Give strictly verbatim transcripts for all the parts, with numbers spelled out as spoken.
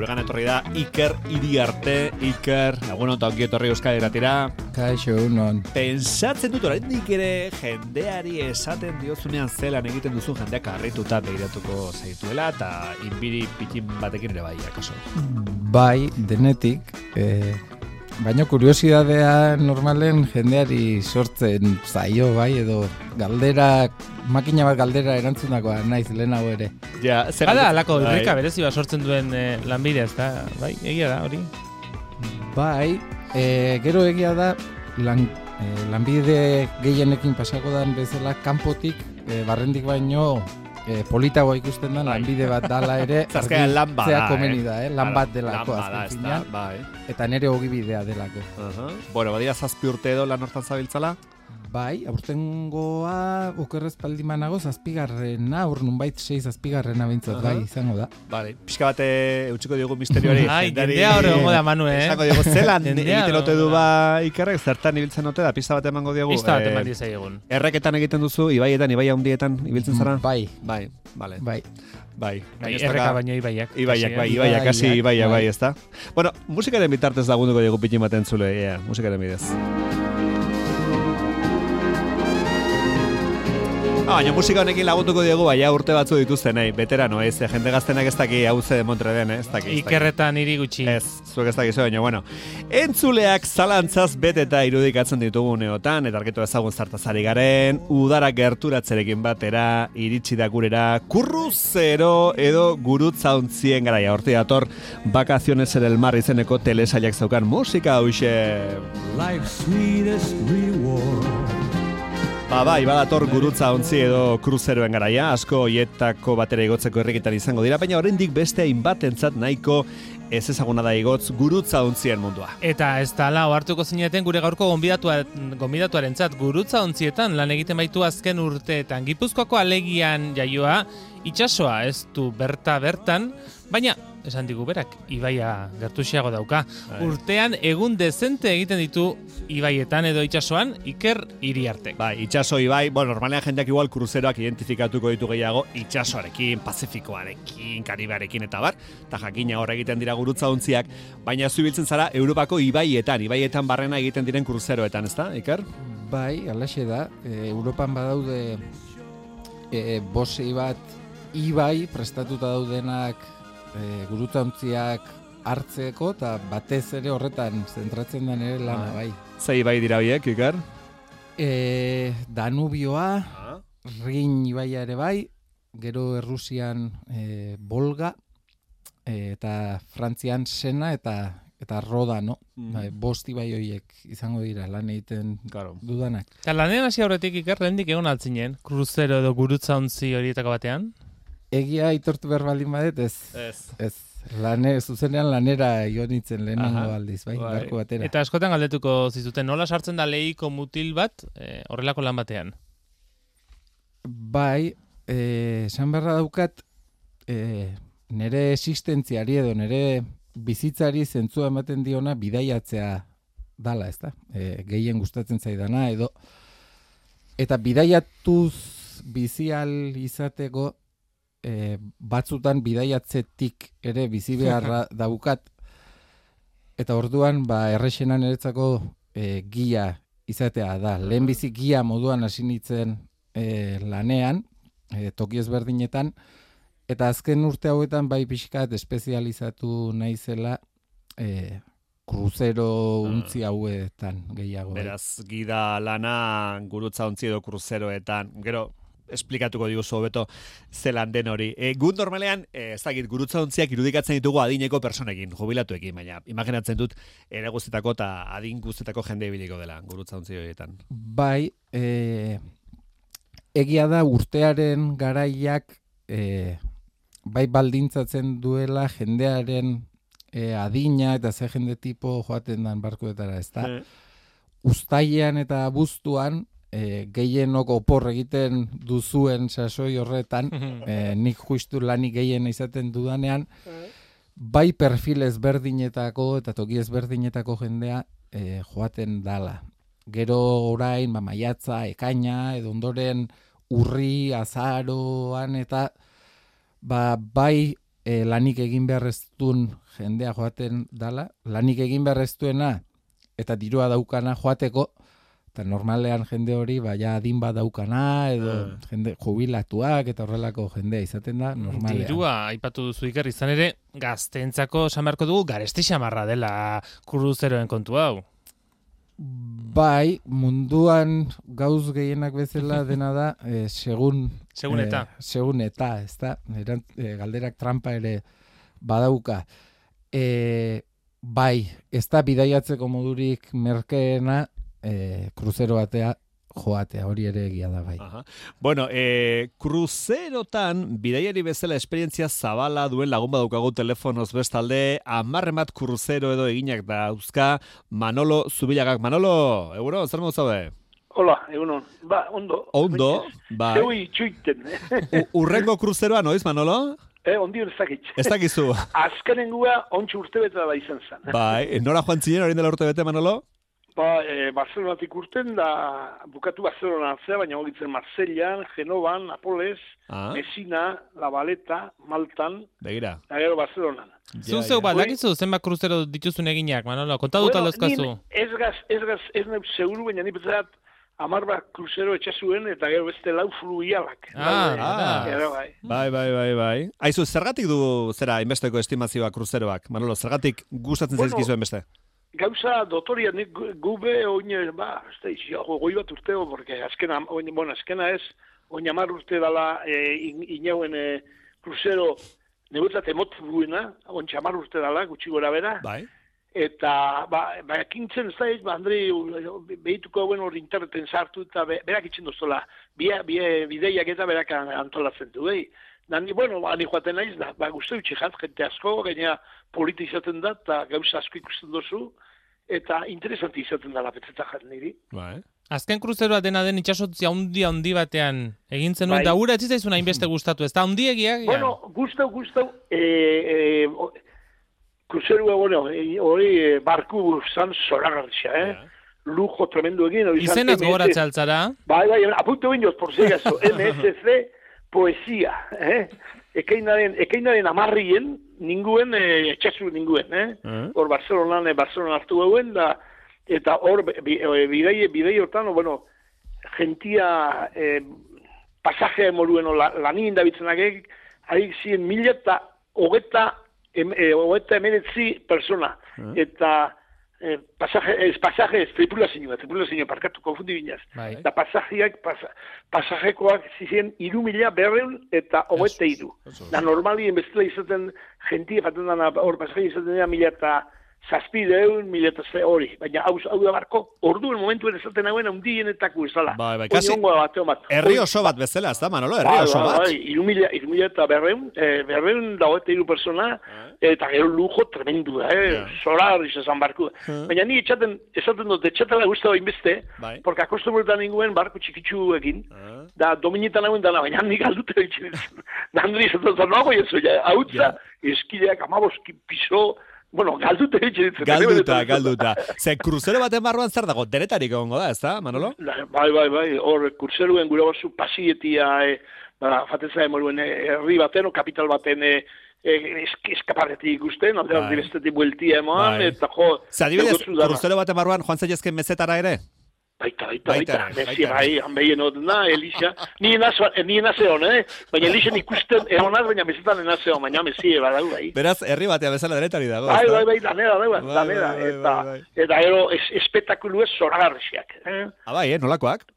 guregan etorri da Iker Iriarte. Iker, egun onta ongi etorri Euskal Irratira. Kaixo, unon. Pentsatzen dut oraindik ere jendeari esaten diozunean zelan egiten duzun jendeak harrituta begiratuko zaituela eta inbiri pitin batekin ere bai, akaso. Bai, denetik, eh, baina kuriosidadea normalen jendeari sortzen zaio, bai, edo galdera, makina bat galdera erantzunakoa naiz lehenago ere. Ja, zer Hala, alako irrika berezi bat sortzen duen eh, lanbidea, ez da, bai, egia da, hori. Bai, eh, gero egia da, lan, eh, lanbide gehienekin pasako dan bezala kanpotik, eh, barrendik baino, Eh, politagoa ikusten da, lanbide bat dala ere, Zazkean lan bada, komeni da, eh? lan bat delako, lan bada, azken finean, bai. eta nere ogibidea delako. Uh-huh. Bueno, badira zazpi urte edo lan hortan zabiltzala? Bai, aurtengoa okerrez paldimanago zazpigarrena, hor nunbait sei zazpigarrena bintzat, uh-huh. bai, izango da. Vale, pixka bate eutxiko diogu misterioari. Ai, jendea hori hongo da, Manu, eh? Esango diogu, zelan egiten ote du ba Ikerrek, zertan ibiltzen ote da, pista bat emango diogu. Pista bat eman dizai egun. Erreketan egiten duzu, ibaietan, ibaia hundietan ibiltzen zara? Bai. Bai, vale. Bai. Bai, bai erreka baino ibaiak. Ibaiak, bai, ibaiak, kasi ibaiak, bai, ez da. Bueno, musikaren bitartez lagunduko diogu pitin baten zule, yeah, musikaren bidez. Ah, baina musika honekin lagunduko diegu, baina urte batzu dituzten, nahi, veterano, ez, jende gaztenak ez daki hau ze demontre den, ez daki. Ikerretan hiri gutxi. Ez, zuek ez dakizu, baina, bueno. Entzuleak zalantzaz beteta irudikatzen ditugu neotan, eta argitu ezagun zartazari garen, udara gerturatzerekin batera, iritsi da gurera, kurruzero edo gurutzantzien garaia. Horti dator, Vacaciones en el Mar izeneko telesailak zaukan musika hauxe. Life's sweetest reward. Ba, bai, badator gurutza ontzi edo kruzeroen garaia, asko hoietako batera igotzeko herrikitan izango dira, baina oraindik beste hainbatentzat nahiko ez ezaguna da igotz gurutza ontzien mundua. Eta ez da la ohartuko zineten gure gaurko gonbidatuarentzat gurutza ontzietan lan egiten baitu azken urteetan. Gipuzkoako alegian jaioa, itsasoa ez du berta bertan, baina esan digu berak, ibaia gertuxiago dauka. Ai. Urtean egun dezente egiten ditu ibaietan edo itsasoan Iker Iriarte. Bai, itsaso ibai, bueno, normalean jendeak igual kruzeroak identifikatuko ditu gehiago itsasoarekin, Pazifikoarekin, Karibearekin eta bar, eta jakina hor egiten dira gurutza ontziak, baina zu ibiltzen zara Europako ibaietan, ibaietan barrena egiten diren kruzeroetan, ezta, Iker? Bai, alaxe da, e, Europan badaude e, bosei bat ibai prestatuta daudenak E, gurutzaontziak hartzeko eta batez ere horretan zentratzen den ere lana, bai. Zei bai dira biek, Iker? E, Danubioa, ah. Rin ibaia ere bai, gero Errusian e, Volga, e, eta Frantzian Sena eta eta Roda, no? Mm. Bai, bost ibai horiek izango dira lan egiten claro. dudanak. Eta lanean hasi aurretik Iker, lehendik egon altzinen, kruzero edo gurutzaontzi horietako batean? Egia aitortu behar baldin badet, ez. Ez. Ez. Lane, zuzenean lanera ionitzen lehenengo aldiz, bai, bai. barko batera. Eta askotan galdetuko zizuten, nola sartzen da lehiko mutil bat eh, horrelako lan batean? Bai, eh, esan beharra daukat, eh, nire existentziari edo nire bizitzari zentzua ematen diona bidaiatzea dala, ez da? Eh, gehien gustatzen zaidana, edo eta bidaiatuz bizial izateko E, batzutan bidaiatzetik ere bizi beharra daukat eta orduan ba errexena niretzako e, gia izatea da. Lehen bizi gia moduan hasi nintzen e, lanean, e, toki ezberdinetan, eta azken urte hauetan bai pixkat espezializatu naizela e, kruzero untzi hauetan gehiago. Beraz, gida lana gurutza ontzi edo kruzeroetan, gero esplikatuko diguzu hobeto zelan den hori. E, gu normalean, e, ez dakit, gurutza ontziak irudikatzen ditugu adineko personekin, jubilatuekin, baina imaginatzen dut ere guztetako eta adin guztetako jende ibiliko dela gurutza ontzi horietan. Bai, e, egia da urtearen garaiak e, bai baldintzatzen duela jendearen e, adina eta ze jende tipo joaten dan barkoetara, ez da? E. Uztailean eta abuztuan E, gehienok opor egiten duzuen sasoi horretan, e, nik justu lanik gehien izaten dudanean, bai perfil ezberdinetako eta toki ezberdinetako jendea e, joaten dala. Gero orain, ba, maiatza, ekaina, edo ondoren urri, azaroan, eta ba, bai e, lanik egin behar ez duen jendea joaten dala, lanik egin behar ez duena eta dirua daukana joateko, eta normalean jende hori baina adin bat daukana, edo Ah. jende jubilatuak eta horrelako jendea izaten da normalean. Dirua, aipatu duzu Iker, izan ere, gazteentzako esan beharko dugu garesti xamarra dela kruzeroen kontu hau. Bai, munduan gauz gehienak bezala dena da, eh, segun... Segun eta. Eh, segun eta, ez da, erant, eh, galderak trampa ere badauka. Eh, bai, ez da bidaiatzeko modurik merkeena eh, kruzero batea joatea, hori ere egia da bai. Aha. Bueno, e, kruzerotan, bidaiari bezala esperientzia zabala duen lagun badaukagu telefonoz bestalde, amarren bat kruzero edo eginak dauzka, Manolo Zubilagak. Manolo, egunon, zer modu zaude? Hola, egunon. Ba, ondo. Ondo, bai. Zeu itxuiten. U- Urrengo kruzeroa noiz, Manolo? eh, ondi hori zakitxe. Ez dakizu. Azkenengua ontsu urte bete da izan zen. Bai, nora joan zinen orain dela urte bete, Manolo? Ba, e, Barcelonatik urten da, bukatu Barcelona atzea, baina hogitzen Marsellan, Genovan, Napoles, Ah, Messina, La Valeta, Maltan, begira. eta gero Barcelonan. Zu Ja, zeu ja. bat, dakizu zenbat kruzero dituzun eginak, Manolo, konta dut aldozkazu. nin ez gaz, ez gaz, ez nahi seguru, baina ni betzat, amar bat kruzero etxasuen, eta gero beste lau fluialak. Ah, ah. Gero, bai. Bai, bai, bai, bai. Aizu, zergatik du zera inbesteko estimazioa kruzeroak? Manolo, zergatik gustatzen Bueno, zaizkizuen beste? Gauza dotoria, nik gu- gube oin, ba, ez da, izi, goi bat urteo, porque azkena, oin, bueno, azkena ez, oin amar urte dala e, in, inauen e, kruzero, neguetzat emot duena, oin amar urte dala, gutxi gora bera, Bai. eta, ba, ba, kintzen ez da, ez, ba, Andri, behituko hauen hori interneten sartu, eta be, berak itxen doztola, bia, bia, bideiak eta berak antolatzen du, behi. Nani, bueno, ba, ni joaten naiz da, ba, guzti utxe jat, jente asko, gaina polita izaten da, eta gauza asko ikusten dozu, eta interesanti izaten da lapetzetak jat niri. Bai. Azken kruzeroa dena den itxasotzi handi handi batean egin zenuen, Bai. eta hura ez zitzaizun hainbeste gustatu, ez da handiegia? Bueno, gustau, gustau, e, e, o- kruzerua, bueno, e, hori e, barku zan zoragarria, eh? Lujo tremendo egin. hori zan Izenaz M S gogoratzea altzara? Bai, bai, apuntu bindoz, por si acaso, M S C poesia, eh? Ekainaren, ekainaren amarrien, ninguen, eh, etxasu ninguen, eh? Eh? Hor Barcelonan, eh, Barcelona hartu gauen, da, eta hor, bi- eh, bidei, bidei hortan, o, bueno, gentia, eh, pasajea moruen, o, la, lanien dabitzen harik ziren mila eta hogeta, em, eh, hogeta emenetzi persona, eta eh, pasaje, ez pasaje, ez tripulazioa, tripulazioa, parkatu, konfundi binaz. Bai. Eta pasajeak, pasa, pasajekoak ziren iru mila berreun eta hogeta iru. Da normalien bestela izaten, gentia jaten dana, hor pasaje izaten dira mila eta zazpideun, mila eta ze hori. Baina hau, hau da barko, orduen momentuen esaten hauen handienetako izala. Bai, bai, Oin kasi hongo bateo bat. herri oso bat bezala, ez da, Manolo? Herri Bai, oso bai, bat. bai, iru mila, iru mila eta berreun, eh, berreun da hogeta iru persona, eta gero lujo tremendu da, eh? Ja. Solar izan barku. Baina ni etxaten, esaten dut, etxatela guztau inbeste, Bai. porque akostumretan ninguen barku txikitsuekin, Ah. da dominetan hauen dana, baina nik aldute ditxen. Da handri izaten zen, nago jesu, ja, hautza, eskideak amaboski piso, bueno, galdute ditxen. Galduta, galduta. Ze, kruzero baten barruan zer dago? Denetarik egongo da, ez da, Manolo? Bai, bai, bai, hor, kurseruen gure basu pasietia, e, ba, fateza emoruen herri baten, o kapital baten, e, e, esk, eskaparretik ikusten, alde Bai. aldi bestetik bueltia eman, Bai. eta jo... Ze, adibidez, negotzu dana. kruzero baten barruan joan zaitezken mezetara ere? Baita, baita, Baita baita, ere, Messi, baita bai, ere. hanbeien hori na, Elisa, ni enaz, ni enaz egon, eh? Baina Elisen ikusten egonaz, baina mesetan enaz egon, baina Messi badau, bai. Beraz, herri batea bezala denetari dago. Bai, ezta? bai, bai, danera, danera, Bai, danera, bai, bai, eta, bai. eta gero, es, espektakulu ez zoragarriak, eh? Ah, bai, eh, nolakoak?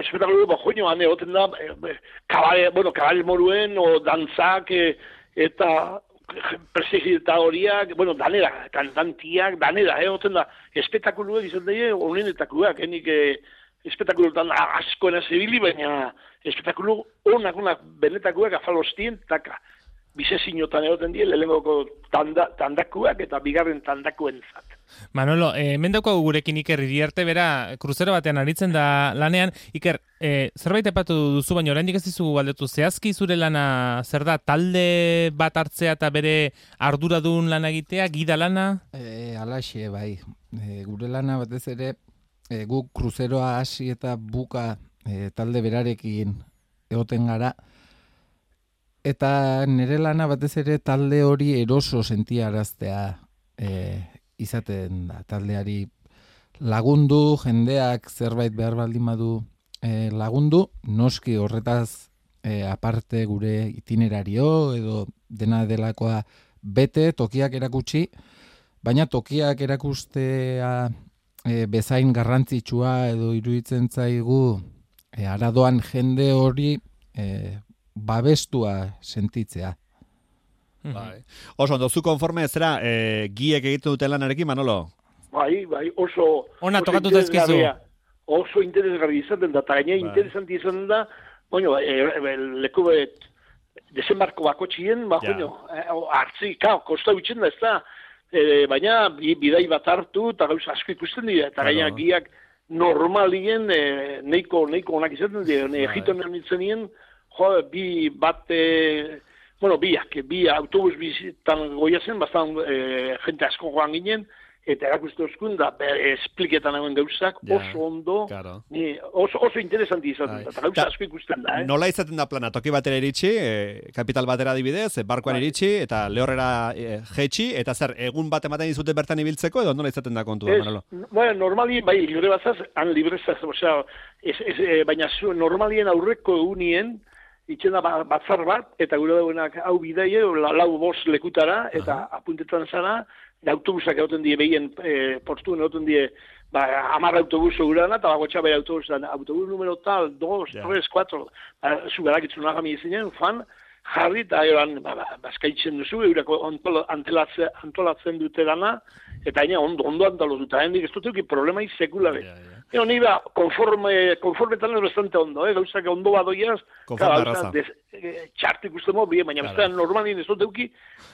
Espektakulu, bo, joño, hane, oten da, eh, kabale, bueno, kabale moruen, o dantzak, eh, eta presegita horiak, bueno, danera, kantantiak, danera, eh, oten da, espektakuluak izan daie, honenetakoak, enik, eh, espektakuluetan askoena zibili, baina espektakulu onak, onak, benetakoak afalostien, taka, bizezinotan egoten die, lehengoko tanda, tandakuak eta bigarren tandakuen zat. Manolo, eh, hemen daukagu gurekin Iker Iriarte, bera, kruzero batean aritzen da lanean. Iker, eh, zerbait epatu duzu, baina oraindik ez dizu galdetu, zehazki zure lana zer da, talde bat hartzea eta bere arduradun lana egitea, gida lana? E, alaxe, bai. E, gure lana batez ere, e, guk kruzeroa hasi eta buka e, talde berarekin egoten gara, Eta nire lana batez ere talde hori eroso sentiaraztea e, izaten da. Taldeari lagundu, jendeak zerbait behar baldin badu e, lagundu, noski horretaz e, aparte gure itinerario edo dena delakoa bete, tokiak erakutsi, baina tokiak erakustea e, bezain garrantzitsua edo iruditzen zaigu e, aradoan jende hori e, babestua sentitzea. Bai. Oso, ondo, zu konforme zera, e, giek egiten duten lanarekin, Manolo? Bai, bai, oso... Ona, oso tokatu zaizkizu. interesgarria. Oso interesgarri izaten da, eta gaina Bai. interesanti izaten da, bueno, e, e, leku bet, desembarko bako txien, ba, Ja. bueno, e, hartzi, kao, kosta bitxen da, ez da, e, baina bi- bidai bat hartu, eta gauza asko ikusten dira, eta gaina Claro. giak normalien e, neiko, neiko onak izaten dira, ne, Bai. egiten nintzen nien, jo, bi bat, e, bueno, biak, bi autobus bizitan goia zen, bastan e, jente asko joan ginen, eta erakuste oskun da, espliketan hauen gauzak, Ja, oso ondo, claro. ni, oso, oso interesanti izaten Bai. da, eta gauza Ta- asko ikusten da, eh? Nola izaten da plana, toki batera iritsi, e, kapital batera adibidez, e, barkoan Bai. iritsi, eta lehorrera e, jetxi, eta zer, egun bat ematen dizute bertan ibiltzeko, edo nola izaten da kontua, Ez, Manolo? bueno, normali, bai, libre bazaz, han librezaz, osea, ez, ez, e, baina zu, normalien aurreko egunien, itxena ba- batzar bat, eta gure dauenak hau bidaie, la, lau bost lekutara, eta apuntetan zara, da autobusak egoten die behien e, portuen egoten die, ba, amar autobus segurana, eta bago txabai autobus, dan, autobus numero tal, dos, Ja. tres, cuatro, ba, zu berakitzun agami izinen, fan, jarri, eta eran, ba, ba, bazkaitzen duzu, eurako antol, antolatzen, antolatzen dute dana, eta haina ondo, ondo antolotu, eta hendik ez dut problema sekula be. Ja, ja. Eo, ni ba, konforme, konformetan ez bastante ondo, eh? Gauzak ondo badoiaz, Konforme erraza. e, txartu ikusten mo, bien, baina Claro. bestean normalin ez dut euki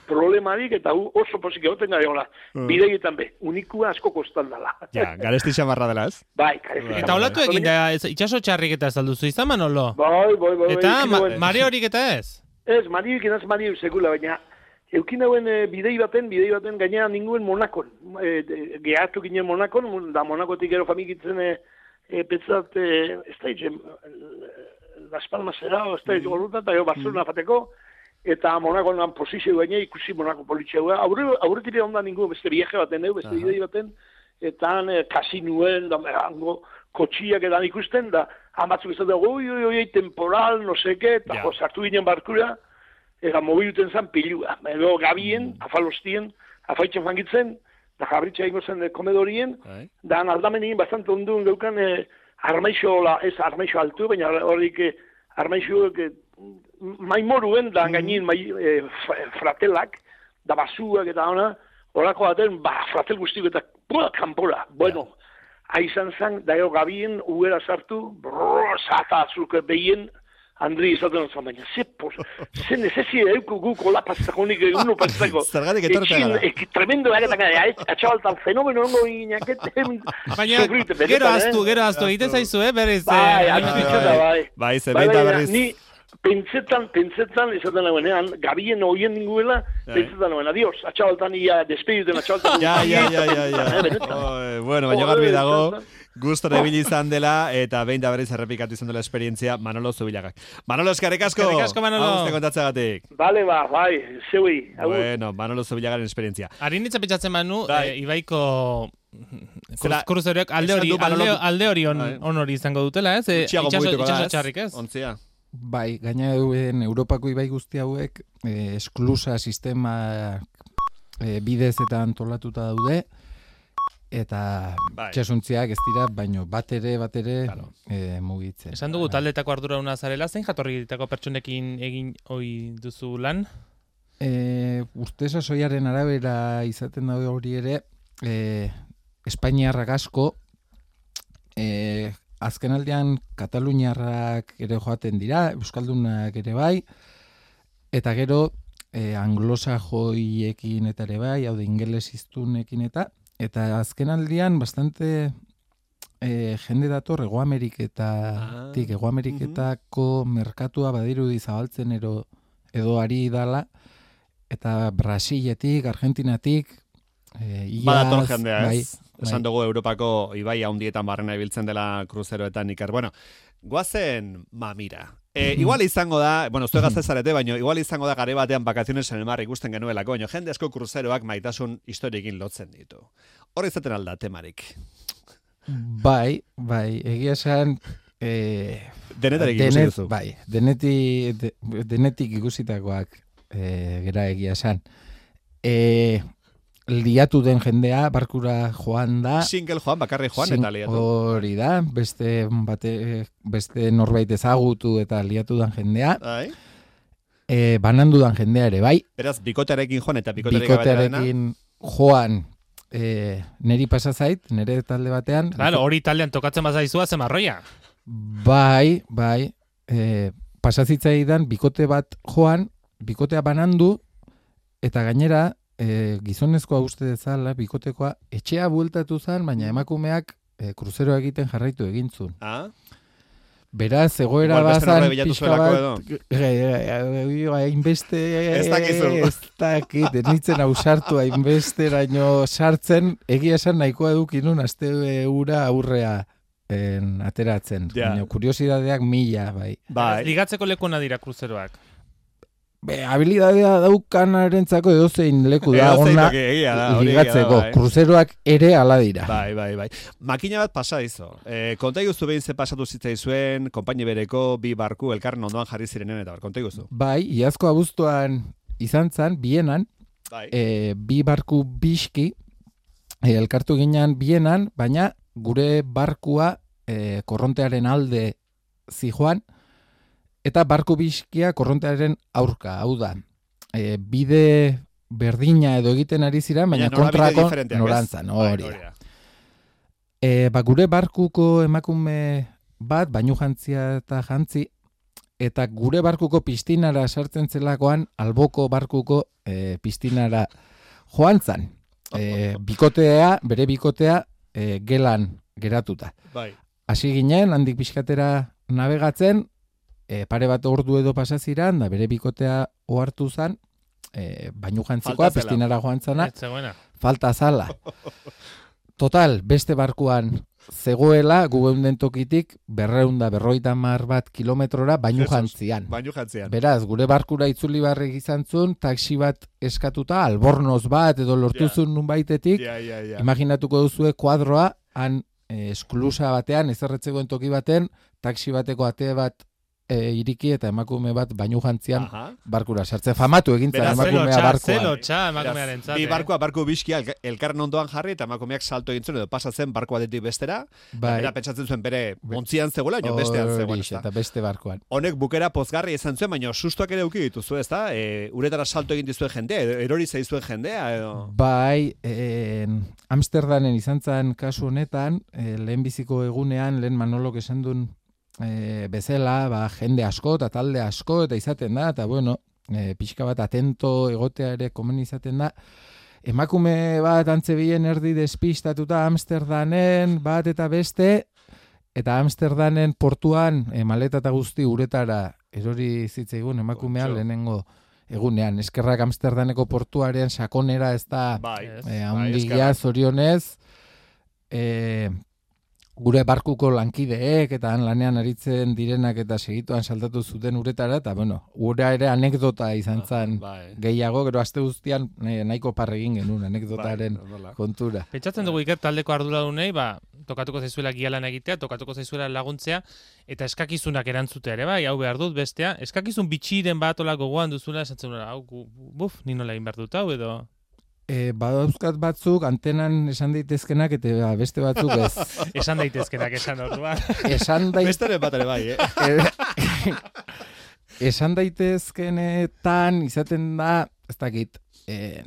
problemarik, eta hu oso posik egoten gara, hola, Mm. bideietan be, unikua asko kostan dala. Ja, garesti xamarra dela, ez? Bai, karezi. Eta olatu egin da, ez- itxaso txarrik eta ez alduzu izan, Manolo? Bai, bai, bai. Eta eukin ma, hauen- mare horik eta ez? Ez, mariuk inaz mariuk sekula, baina eukin hauen e, bidei baten, bidei baten gainean ninguen Monakon. E, de, gehatu ginen Monakon, mon- da Monakotik gero familikitzen e, e, petzat, e, ez da itxe, Las Palmas era, ez da itxe gorruta, eta gero Barcelona fateko, eta Monakoan posizio gaine ikusi Monako politxeua. Aurre, aurretire ondan ninguen beste viaje baten, eh, beste Aha. bidei baten, eta han e, kasinuen, da, hango kotxiak edan ikusten, da, han batzuk ez da, oi, oi, oi, temporal, no seke, eta Ja. jo, sartu ginen barkura, eta mobiluten zan pilua. Edo gabien, afalostien, afaitzen fangitzen, da jabritxa ingo zen e, komedorien, Bai. da aldamenien bastante ondun geukan e, armaixo, la, ez armaixo altu, baina horrik e, armaixo e, maimoruen, da gainin mai, e, f- fratelak, da basuak eta ona, horako baten, ba, fratel guztiko eta pua, kanpora. Bueno, aizan zan, da gero gabien, uera sartu, brrr, zata azuk behien, Andri izaten zan, baina, ze, pos, ze nezezi euko guk hola pastakonik eguno pastako. Zergatik etorte gara. Etxin, tremendo egetan gara, atxabaltan fenomeno ongo inaketen. Baina, gero aztu, gero aztu, egiten zaizu, eh, berriz. Bai, eh, atzitzen da, bai. Bai, ze Bai, behin da baina, berriz. Ni pentsetan, pentsetan, izaten nagoenean, gabien oien ninguela, Bai. pentsetan nagoen, adios, atxabaltan ia despediten atxabaltan. Ja, ja, ja, ja, ja. Eh, benetan. Oi, bueno, baina Joder, garbi dago, izan gustora ibili izan dela, eta behin da berriz errepikatu izan dela esperientzia Manolo Zubilagak. Manolo, eskerrik asko! Eskerrik asko, Manolo. Hau guzti kontatzeagatik. Bale, ba, bai, zeui. agur. Bueno, Manolo Zubilagaren esperientzia. Harin ditza pentsatzen manu, Bai. e, Ibaiko Zera, kruzeriok alde esan hori, du Manolo- alde, alde hori on, Bai. on hori izango dutela, ez? E, Gutxiago itxaso, mugituko da, itxaso ez? txarrik, ez? Ontzia. Bai, gaina duen Europako ibai guzti hauek eh, esklusa sistema eh, bidez eta antolatuta daude, eta Bai. itxasuntziak ez dira, baino bat ere, bat ere Claro. eh, mugitzen. Esan dugu taldetako ardurauna zarela, zein jatorritako pertsonekin egin ohi duzu lan? E, urte sasoiaren arabera izaten da hori ere, e, Espainiarrak asko, e, azken aldean Kataluniarrak ere joaten dira, Euskaldunak ere bai, eta gero e, anglosajoiekin eta ere bai, hau da ingelesiztunekin eta, eta azken aldean bastante e, jende dator Hego Ameriketatik, Hego Ameriketako merkatua badirudi zabaltzen ero, edo ari dala, eta Brasiletik, Argentinatik, e, iaz, Badator jendea, bai, ez? Esan dugu Europako ibai handietan barrena ibiltzen dela kruzeroetan iker. Bueno, Guazen mamira. E, igual izango da, bueno, zue gazte zarete, baina igual izango da gare batean Vacaciones en el Mar ikusten genuelako, baina jende asko kruzeroak maitasun historiekin lotzen ditu. Hor izaten alda temarik. Bai, bai, egia esan... E, Denetarik ikusi duzu. Bai, deneti, de, denetik ikusitakoak e, gera egia esan. E, liatu den jendea, barkura joan da. Single joan, bakarri joan eta liatu. Hori da, beste, bate, beste norbait ezagutu eta liatu den jendea. Bai. E, banandu den jendea ere, bai. Beraz, bikotearekin joan eta bikoterik bikotearekin joan e, neri pasa zait, nere talde batean. Claro, hori taldean tokatzen bazaizua zemarroia. Bai, bai. E, pasazitzaidan bikote bat joan, bikotea banandu, eta gainera, e, gizonezkoa uste dezala, bikotekoa, etxea bueltatu zen, baina emakumeak e, kruzero egiten jarraitu egintzun. Ah? Beraz, egoera bazan pixka bat, hainbeste, ez dakizu. Ez dakit, nitzen ausartu hainbesteraino sartzen, egia esan nahikoa edukinun, azte ura aurrea en, ateratzen. Ja. Baina, kuriosidadeak mila, bai. Bai. Ligatzeko lekuna dira kruzeroak. Be, habilidadea daukanarentzako edozein leku da, Edozein ona toki, egia da, hori ligatzeko. egia da, bai. Kruzeroak ere ala dira. Bai, bai, bai. Makina bat pasa izo. E, konta iguzu behin ze pasatu zitzaizuen, konpaini bereko bi barku elkarren ondoan jarri zirenen eta bar, konta iguzu. Bai, iazko abuztuan izan zan, bienan, Bai. e, bi barku biski, e, elkartu ginean bienan, baina gure barkua e, korrontearen alde zijoan, eta barku biskia korrontearen aurka, hau da. E, bide berdina edo egiten ari zira, baina kontrako norantzan, hori da. E, ba, gure barkuko emakume bat, bainu jantzia eta jantzi, eta gure barkuko pistinara sartzen zelakoan, alboko barkuko e, pistinara joan zan. E, bikotea, bere bikotea, e, gelan geratuta. Bai. Hasi ginen, handik pixkatera navegatzen, e, pare bat ordu edo pasaziran, da bere bikotea ohartu zan, e, bainu jantzikoa, pistinara joan zana, falta zala. Total, beste barkuan zegoela, gugeunden tokitik, berreunda, berroita mar bat kilometrora, bainu jantzian. Bainu jantzian. Beraz, gure barkura itzuli barrik izan zuen, taxi bat eskatuta, albornoz bat, edo lortuzun yeah. Nunbaitetik, yeah, yeah, yeah. Imaginatuko duzue kuadroa, han eh, esklusa batean, ezerretzegoen toki baten, taxi bateko ate bat e, iriki eta emakume bat bainu jantzian Aha. Barkura sartzen. Famatu egintzen emakumea barkuan. Zelo txa emakumearen zate. Bi barkua, barku biskia elkarren ondoan jarri eta emakumeak salto egintzen edo pasatzen barku batetik bestera. Bai. Bera pentsatzen zuen bere ontzian zegoela, baina bestean zegoela. Eta beste barkuan. Honek bukera pozgarri izan zuen, baina sustuak ere uki dituzu, ezta? E, uretara salto egin dizuen jendea, edo erori zaizuen jendea, edo... Bai, e, Amsterdamen izan zen kasu honetan, e, lehenbiziko egunean, lehen Manolok esan duen E, bezala, ba, jende asko eta talde asko eta izaten da, eta bueno, e, pixka bat atento egotea ere komen izaten da. Emakume bat antzebien erdi despistatuta Amsterdamen bat eta beste, eta Amsterdamen portuan e, maleta eta guzti uretara erori zitzaigun emakumea lehenengo egunean. Eskerrak Amsterdaneko portuaren sakonera ez da bai, e, handigia zorionez, e, gure barkuko lankideek eta han lanean aritzen direnak eta segituan saltatu zuten uretara, eta bueno, ura ere anekdota izan zen bai. Gehiago, gero aste guztian nahiko parregin genuen anekdotaren bai, kontura. Pentsatzen dugu Iker taldeko arduradunei, ba, tokatuko zaizuela gialan egitea, tokatuko zaizuela laguntzea, eta eskakizunak erantzutea ere, bai, hau behar dut bestea, eskakizun bitxiren bat ola gogoan duzula, esatzen dut, hau, buf, nino la behar dut hau, edo... E, badauzkat batzuk antenan esan daitezkenak eta beste batzuk ez. Esan daitezkenak esan orduan. Esan daitezkenak... Besteren bat ere bai, eh? Esan daitezkenetan izaten da, ez dakit, eh,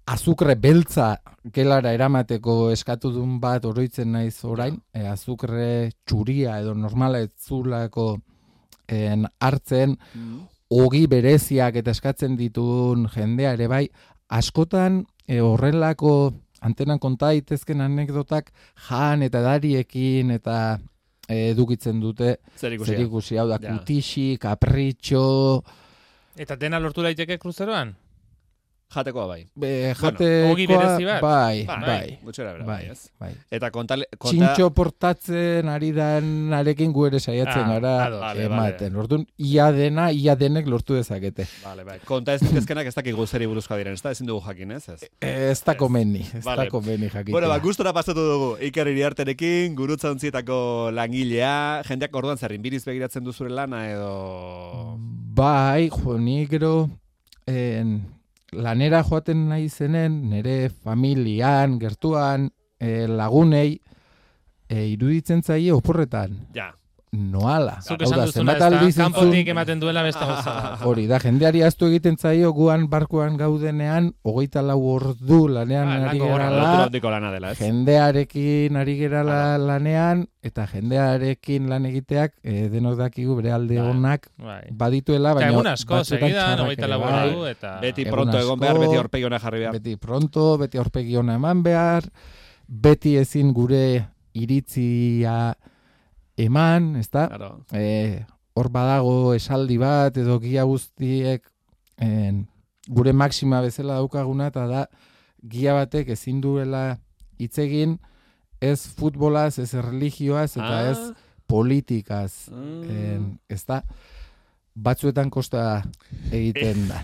azukre beltza gelara eramateko eskatu duen bat oroitzen naiz orain, eh, azukre txuria edo normala etzulako eh, hartzen, mm. ogi bereziak eta eskatzen dituen jendea ere bai, askotan e, horrelako antenan konta daitezken anekdotak jan eta dariekin eta e, edukitzen dute zerikusi, hau da, ja. Kutixi, kapritxo... Eta dena lortu daiteke kruzeroan? Jatekoa bai. Be, Bueno, ogi jatekoa, berezi bat. bai, Bai, bai, gutxera bera, bai, bai, ez? bai. Eta kontale, konta... Txintxo portatzen ari dan arekin gu ere saiatzen Ah, gara ados. Vale, ematen. Orduan, ia dena, ia denek lortu dezakete. Vale, bai. Konta ez ditezkenak ez dakik guzeri buruzkoa diren, ez da? Ezin dugu jakin, ez? Ez. Ez da komeni, ez Vale. da komeni jakitea. Bueno, ba, gustora pasatu dugu Iker Iriarterekin, gurutza ontzietako langilea, jendeak orduan zer, inbiriz begiratzen du zure lana edo... Bai, jo, ni gero en, lanera joaten nahi zenen, nire familian, gertuan, eh, lagunei, eh, iruditzen zaie oporretan. Ja. Noala. Zuk Hau esan da, duzuna, zenbat ez da, aldiz entzun- kanpotik ematen duela beste gauza. Hori da, jendeari ahaztu egiten zaio guan barkuan gaudenean, hogeita lau ordu lanean Ah, ari lango gora, gerala, Lotura handiko lana dela, ez? jendearekin ari gerala lanean, eta jendearekin lan egiteak, eh, denok dakigu bere alde Bai. onak Bai. badituela, Eta baina egun asko, batzuetan segidan, txarrak hogeita ere lau bai. ordu, eta... Beti Egun pronto egon behar, asko, beti aurpegi ona jarri behar. Beti pronto, beti aurpegi ona eman behar, beti ezin gure iritzia eman, ezta? Claro. Eh, hor badago esaldi bat edo gia guztiek en, gure maxima bezala daukaguna, eta da gia batek ezin duela hitz egin ez futbolaz, ez religioaz, eta Ah. ez politikaz. Mm. En, ez da, batzuetan kosta egiten da,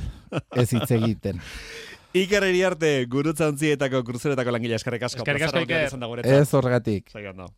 ez hitz egiten. Iker Iriarte, gurutza ontzietako, kruzeretako langilea, eskerrik asko. Eskerrik asko, Plazara Iker. izan da guretzat. Ez horregatik. Segi ondo.